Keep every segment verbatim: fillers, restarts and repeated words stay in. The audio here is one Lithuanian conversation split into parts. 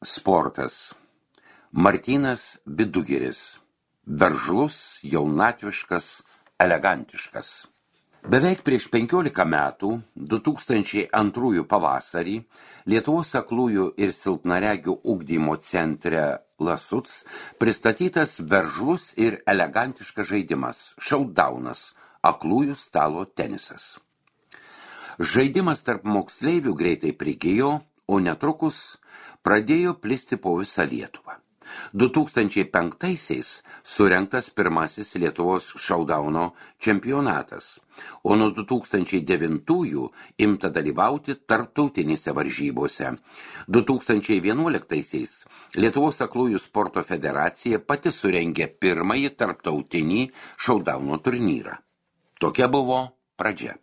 Sportas. Martynas Bidugiris. Veržlus, jaunatviškas, elegantiškas. Beveik prieš penkiolika metų, du tūkstančiai antrųjų pavasarį, Lietuvos aklųjų ir silpnaregių ugdymo centre Lasuc pristatytas veržlus ir elegantiškas žaidimas – šaudaunas, aklųjų stalo tenisas. Žaidimas tarp moksleivių greitai prigijo, o netrukus pradėjo plisti po visą Lietuvą. du tūkstančiai penktaisiais surengtas pirmasis Lietuvos šaudauno čempionatas, o nuo du tūkstančiai devintųjų imta dalyvauti tarptautinėse varžybose. du tūkstančiai vienuoliktaisiais Lietuvos aklųjų sporto federacija pati surengė pirmąjį tarptautinį šaudauno turnyrą. Tokia buvo pradžia.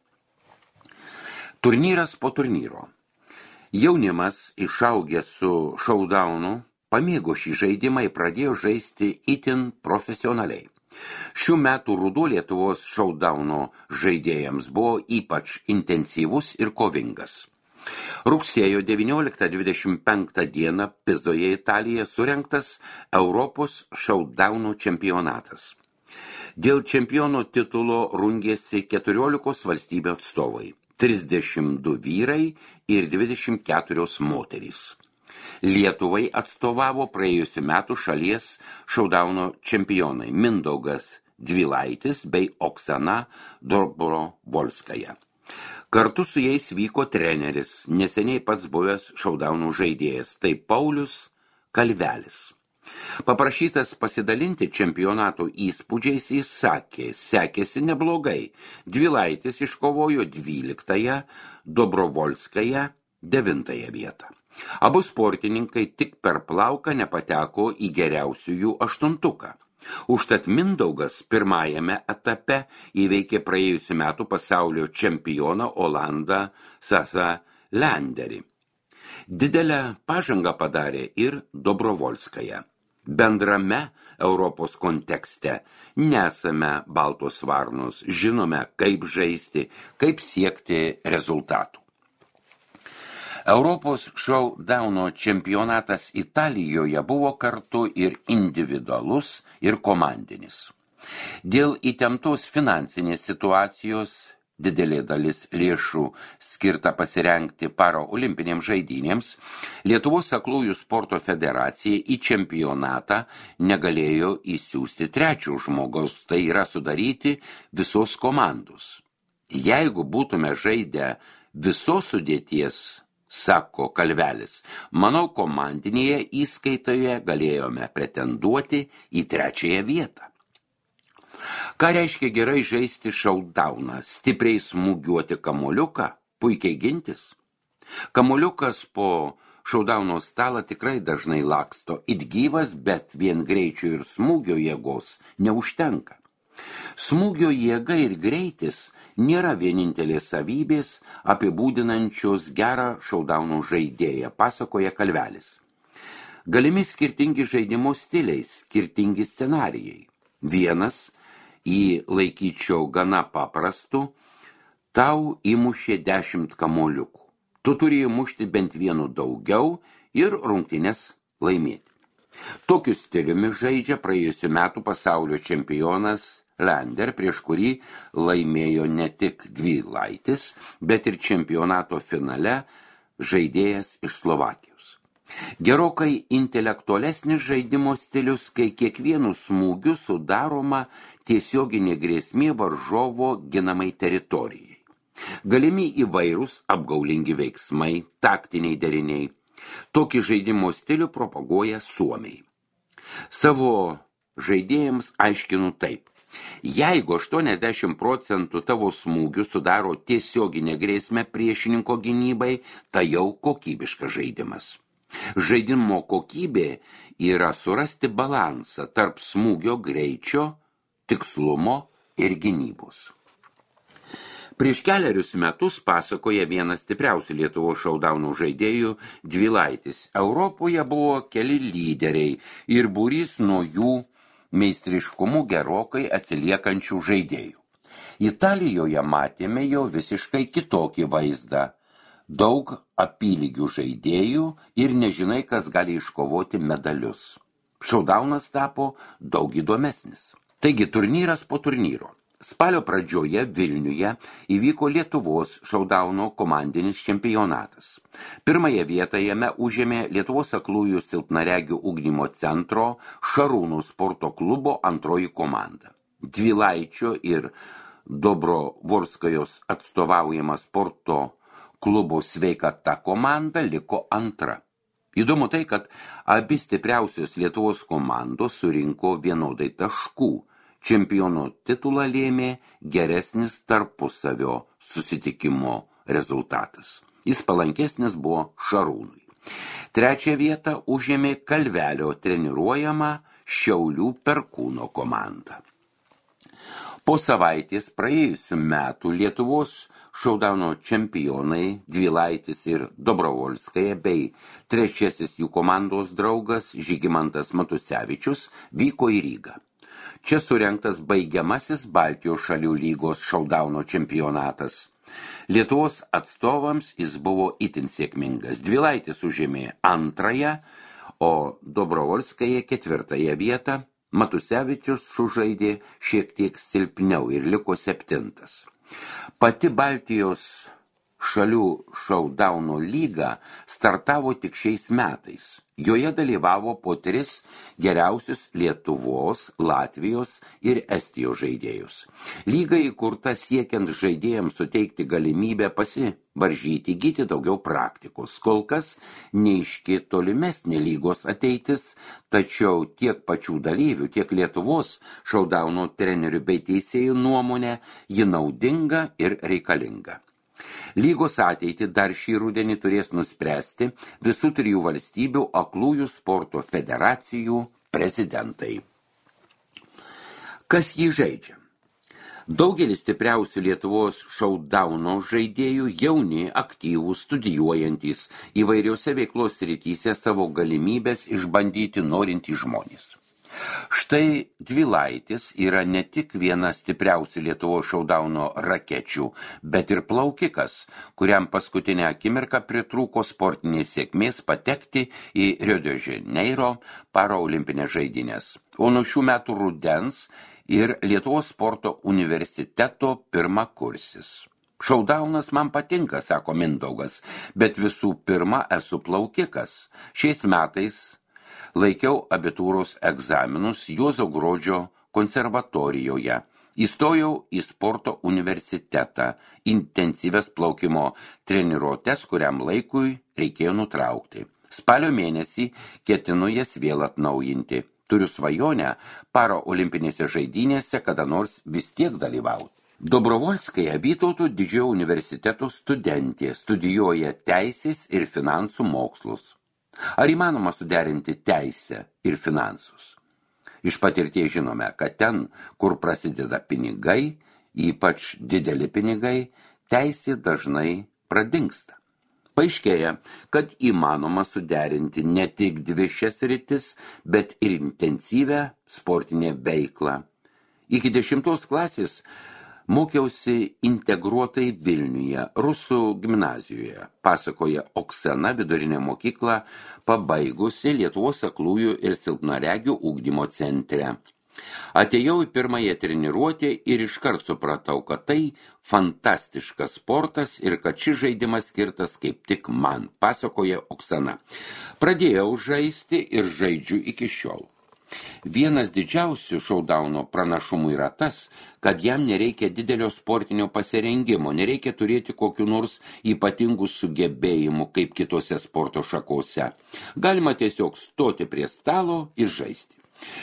Turnyras po turnyro. Jaunimas, išaugęs su šaudaunu, pamėgo šį žaidimą ir pradėjo žaisti itin profesionaliai. Šių metų ruduo Lietuvos šaudauno žaidėjams buvo ypač intensyvus ir kovingas. Rugsėjo devynioliktą dvidešimt penktą dieną Pizoje, Italija, surengtas Europos šaudauno čempionatas. Dėl čempiono titulo rungėsi keturiolikos valstybių atstovai, trisdešimt du vyrai ir dvidešimt keturios moterys. Lietuvai atstovavo praėjusių metų šalies šaudauno čempionai Mindaugas Dvilaitis bei Oksana Dobrovolskaja. Kartu su jais vyko treneris, neseniai pats buvęs šaudaunų žaidėjas, tai Paulius Kalvelis. Paprašytas pasidalinti čempionato įspūdžiais, jis sakė, sekėsi neblogai. Dvilaitis iškovojo dvyliktąją, Dobrovolskaja devintąją vietą. Abu sportininkai tik per plauką nepateko į geriausiųjų aštuntuką. Užtat Mindaugas pirmajame etape įveikė praėjusių metų pasaulio čempioną Olandą Sasa Lenderį. Didelę pažangą padarė ir Dobrovolskaja. Bendrame Europos kontekste nesame baltos varnos, žinome, kaip žaisti, kaip siekti rezultatų. Europos šaudauno čempionatas Italijoje buvo kartu ir individualus, ir komandinis. Dėl įtemptos finansinės situacijos didelė dalis lėšų skirta pasirengti paraolimpinėms žaidynėms, Lietuvos aklųjų sporto federacija į čempionatą negalėjo įsiųsti trečio žmogaus, tai yra sudaryti visos komandos. Jeigu būtume žaidę visos sudėties, sako Kalvelis, manau, komandinėje įskaitoje galėjome pretenduoti į trečiąją vietą. Ką reiškia gerai žaisti šaudauną, stipriai smūgiuoti kamuoliuką, puikiai gintis? Kamuoliukas po šaudauno stalą tikrai dažnai laksto, it gyvas, bet vien greičio ir smūgio jėgos neužtenka. Smūgio jėga ir greitis nėra vienintelės savybės apibūdinančios gerą šaudauno žaidėją, pasakoja Kalvelis. Galimi skirtingi žaidimo stiliai, skirtingi scenarijai. Vienas, į laikyčiau gana paprastu, tau įmušė dešimt kamuoliukų. Tu turi įmušti bent vienu daugiau ir rungtynes laimėti. Tokiu stiliumi žaidžia praėjusių metų pasaulio čempionas Lender, prieš kurį laimėjo ne tik Dvilaitis, bet ir čempionato finale žaidėjas iš Slovakijos. Gerokai intelektualesnis žaidimo stilius, kai kiekvienu smūgiu sudaroma tiesioginė grėsmė varžovo ginamai teritorijai. Galimi įvairūs apgaulingi veiksmai, taktiniai deriniai. Tokį žaidimo stilių propaguoja suomiai. Savo žaidėjams aiškinu taip. Jeigu aštuoniasdešimt procentų tavo smūgių sudaro tiesioginę grėsmę priešininko gynybai, tai jau kokybiškas žaidimas. Žaidimo kokybė yra surasti balansą tarp smūgio greičio, tikslumo ir gynybos. Prieš keliarius metus, pasakoja vienas stipriausių Lietuvos šaudaunų žaidėjų Dvilaitis, Europoje buvo keli lyderiai ir būrys nuo jų meistriškumu gerokai atsiliekančių žaidėjų. Italijoje matėme jau visiškai kitokį vaizdą. daug apylygių žaidėjų ir nežinai, kas gali iškovoti medalius. Šaudaunas tapo daug įdomesnis. Taigi turnyras po turnyro. Spalio pradžioje Vilniuje įvyko Lietuvos šaudauno komandinis čempionatas. Pirmąją vietą jame užėmė Lietuvos aklųjų silpnaregių ugdymo centro Šarūnų sporto klubo antroji komanda. Dvilaičio ir Dobrovorskajos atstovaujama sporto klubo Sveikata komanda liko antra. Įdomu tai, kad abi stipriausios Lietuvos komandos surinko vienodai taškų. Čempionų titulą lėmė geresnis tarpusavio susitikimo rezultatas. Jis palankesnis buvo Šarūnui. Trečią vietą užėmė Kalvelio treniruojama Šiaulių Perkūno komanda. Po savaitės praėjusių metų Lietuvos šaudauno čempionai Dvilaitis ir Dobrovolskaja bei trečiasis jų komandos draugas Žygimantas Matusevičius vyko į Rygą. Čia surengtas baigiamasis Baltijos šalių lygos šaudauno čempionatas. Lietuvos atstovams jis buvo itin sėkmingas. Dvilaitis užėmė antrąją, o Dobrovolskaja ketvirtąją vietą. Matusevičius sužaidė šiek tiek silpniau ir liko septintas. Pati Baltijos šalių šaudauno lyga startavo tik šiais metais. Joje dalyvavo po tris geriausius Lietuvos, Latvijos ir Estijos žaidėjus. Lyga įkurta siekiant žaidėjams suteikti galimybę pasivaržyti, įgyti daugiau praktikos. Kol kas neaiški tolimesnė lygos ateitis, tačiau tiek pačių dalyvių, tiek Lietuvos šaudauno trenerių bei teisėjų nuomonė ji naudinga ir reikalinga. Lygos ateitį dar šį rudenį turės nuspręsti visų trijų valstybių aklųjų sporto federacijų prezidentai. Kas jį žaidžia? Daugelis stipriausių Lietuvos šaudauno žaidėjų jauni, aktyvūs, studijuojantys įvairiose veiklos srityse savo galimybės išbandyti norintys žmonės. Štai Dvilaitis yra ne tik viena stipriausių Lietuvos šaudauno rakečių, bet ir plaukikas, kuriam paskutinę akimirką pritrūko sportinės sėkmės patekti į Rio de Janeiro paraolimpinės žaidynės. O nuo šių metų rudens ir Lietuvos sporto universiteto pirmakursis. Šaudaunas man patinka, sako Mindaugas, bet visų pirma esu plaukikas. Šiais metais laikiau abitūros egzaminus Juozo Gruodžio konservatorijoje. Įstojau į sporto universitetą, intensyves plaukimo treniruotes, kuriam laikui reikėjo nutraukti. Spalio mėnesį ketinu jas vėl atnaujinti. Turiu svajonę paraolimpinėse žaidynėse kada nors vis tiek dalyvauti. Dobrovolskaja Vytauto didžiojo universiteto studentė, studijuoja teisės ir finansų mokslus. Ar įmanoma suderinti teisę ir finansus? Iš patirties žinome, kad ten, kur prasideda pinigai, ypač dideli pinigai, teisė dažnai pradingsta. Paaiškėja, kad įmanoma suderinti ne tik dvi šias sritis, bet ir intensyvę sportinę veiklą. Iki dešimtos klasės mokiausi integruotai Vilniuje, Rusų gimnazijoje, pasakoja Oksana vidurinę mokyklą, pabaigusi Lietuvos aklųjų ir silpnaregių ugdymo centre. Atėjau į pirmąją treniruotę ir iškart supratau, kad tai fantastiškas sportas ir kad šis žaidimas skirtas kaip tik man, pasakoja Oksana. Pradėjau žaisti ir žaidžiu iki šiol. Vienas didžiausių šaudauno pranašumų yra tas, kad jam nereikia didelio sportinio pasirengimo, nereikia turėti kokių nors ypatingų sugebėjimų kaip kitose sporto šakose. Galima tiesiog stoti prie stalo ir žaisti.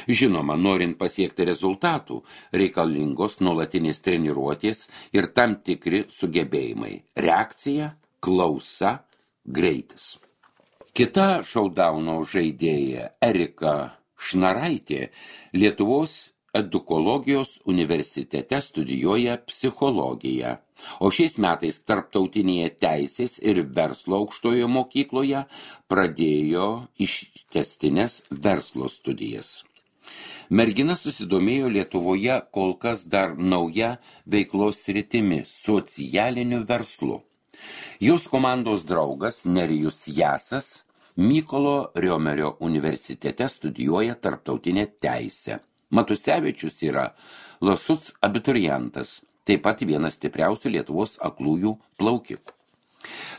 Žinoma, norint pasiekti rezultatų, reikalingos nuolatinės treniruotės ir tam tikri sugebėjimai – reakcija, klausa, greitis. Kita šaudauno žaidėja Erika Šnaraitė Lietuvos edukologijos universitete studijuoja psichologiją, o šiais metais tarptautinėje teisės ir verslo aukštojo mokykloje pradėjo ištęstines verslo studijas. Mergina susidomėjo Lietuvoje kol kas dar nauja veiklos sritimi – socialiniu verslu. Jos komandos draugas Nerijus Jasas Mykolo Riomerio universitete studijuoja tarptautinę teisę. Matusevičius yra Lasuc abiturientas, taip pat vienas stipriausių Lietuvos aklųjų plaukikų.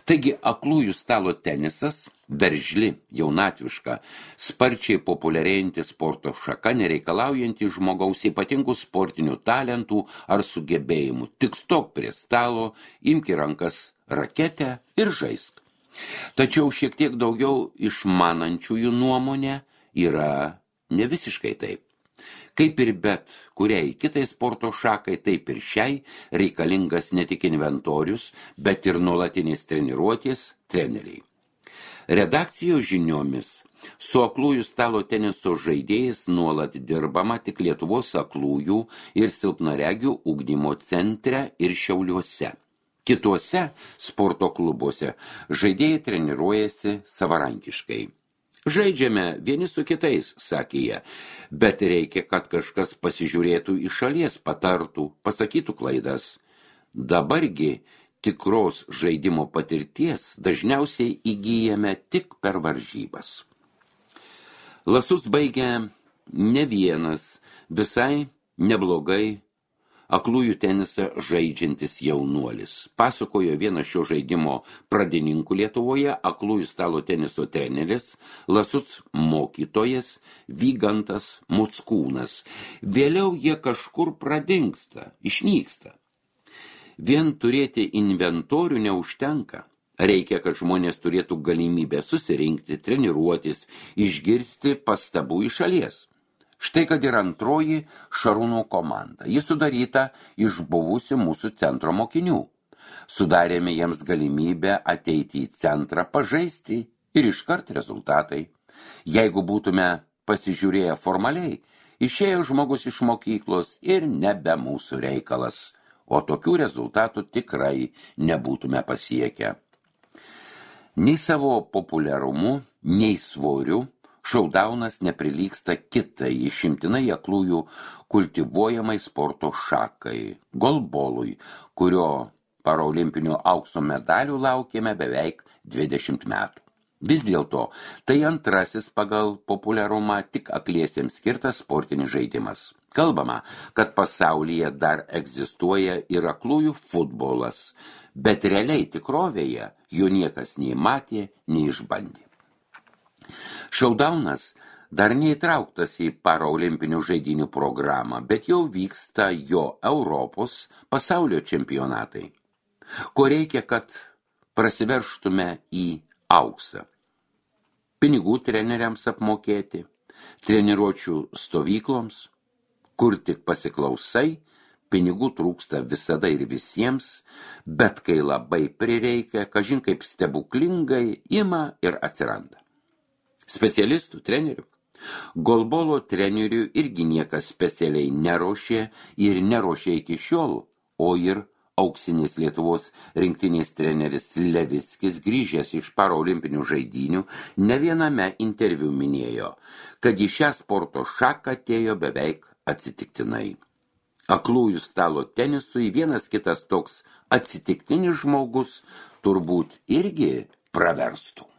Taigi aklųjų stalo tenisas, veržli, jaunatviška, sparčiai populiarėjanti sporto šaka, nereikalaujanti žmogaus ypatingų sportinių talentų ar sugebėjimų. Tik stok prie stalo, imk į rankas raketę ir žaisk. Tačiau šiek tiek daugiau išmanančiųjų nuomonė yra ne visiškai taip. Kaip ir bet kuriai kitai sporto šakai, taip ir šiai reikalingas ne tik inventorius, bet ir nuolatinės treniruotės treneriai. Redakcijos žiniomis su aklųjų stalo teniso žaidėjais nuolat dirbama tik Lietuvos aklųjų ir silpnaregių ugdymo centre ir Šiauliuose. Kituose sporto klubuose žaidėjai treniruojasi savarankiškai. Žaidžiame vieni su kitais, sakė jie, bet reikia, kad kažkas pasižiūrėtų iš šalies, patartų, pasakytų klaidas. Dabargi tikros žaidimo patirties dažniausiai įgyjame tik per varžybas. Lasus baigia ne vienas, visai neblogai aklųjų tenisą žaidžiantis jaunuolis. Pasakojo vienas šio žaidimo pradininkų Lietuvoje, aklųjų stalo teniso treneris, Lasuc mokytojas Vygantas Muckūnas. Vėliau jie kažkur pradingsta, išnyksta. Vien turėti inventorių neužtenka. Reikia, kad žmonės turėtų galimybę susirinkti, treniruotis, išgirsti pastabų iš šalies. Štai kad ir antroji Šarūno komanda. Ji sudaryta iš buvusių mūsų centro mokinių. Sudarėme jiems galimybę ateiti į centrą, pažaisti ir iškart rezultatai. Jeigu būtume pasižiūrėję formaliai, išėjo žmogus iš mokyklos ir nebe mūsų reikalas, o tokių rezultatų tikrai nebūtume pasiekę. Nei savo populiarumu, nei svoriu, šaudaunas neprilygsta kitai išimtinai aklųjų kultivuojamai sporto šakai, golbolui, kurio paraolimpinio aukso medalių laukėme beveik dvidešimt metų. Vis dėlto, tai antrasis pagal populiarumą tik akliesiems skirtas sportinis žaidimas. Kalbama, kad pasaulyje dar egzistuoja ir aklųjų futbolas, bet realiai tikrovėje jo niekas nei matė, nei išbandė. Šaudaunas dar neįtrauktas į paraolimpinių žaidynių programą, bet jau vyksta jo Europos pasaulio čempionatai. Ko reikia, kad prasiverštume į auksą? Pinigų treneriams apmokėti, treniruočių stovykloms, kur tik pasiklausai, pinigų trūksta visada ir visiems, bet kai labai prireikia, kažin kaip stebuklingai ima ir atsiranda. Specialistų, trenerių. Golbolo trenerių irgi niekas specialiai neruošė ir neruošė iki šiol, o ir auksinis Lietuvos rinktinės treneris Levickis, grįžęs iš paraolimpinių žaidynių, ne viename interviu minėjo, kad į šią sporto šaką atėjo beveik atsitiktinai. Aklųjų stalo tenisui vienas kitas toks atsitiktinis žmogus turbūt irgi praverstų.